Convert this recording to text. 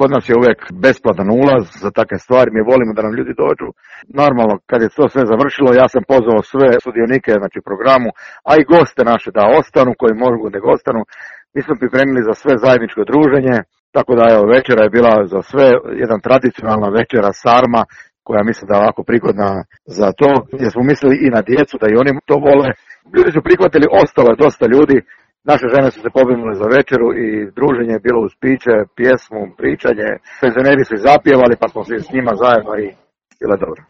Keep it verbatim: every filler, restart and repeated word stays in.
kod nas je uvek besplatan ulaz za takve stvari, mi volimo da nam ljudi dođu. Normalno, kad je to sve završilo, ja sam pozvao sve sudionike, znači programu, a i goste naše da ostanu, koji mogu da ostanu. Mi smo pripremili za sve zajedničko druženje, tako da evo, večera je bila za sve jedan tradicionalna večera sarma, koja mislim da je ovako prigodna za to, gdje smo mislili i na djecu, da i oni to vole. Ljudi su prihvatili, ostalo je dosta ljudi, naše žene su se pobrinule za večeru i druženje je bilo uz piće, pjesmu, pričanje, penzioneri su zapjevali pa smo se s njima zajedno i bilo dobro.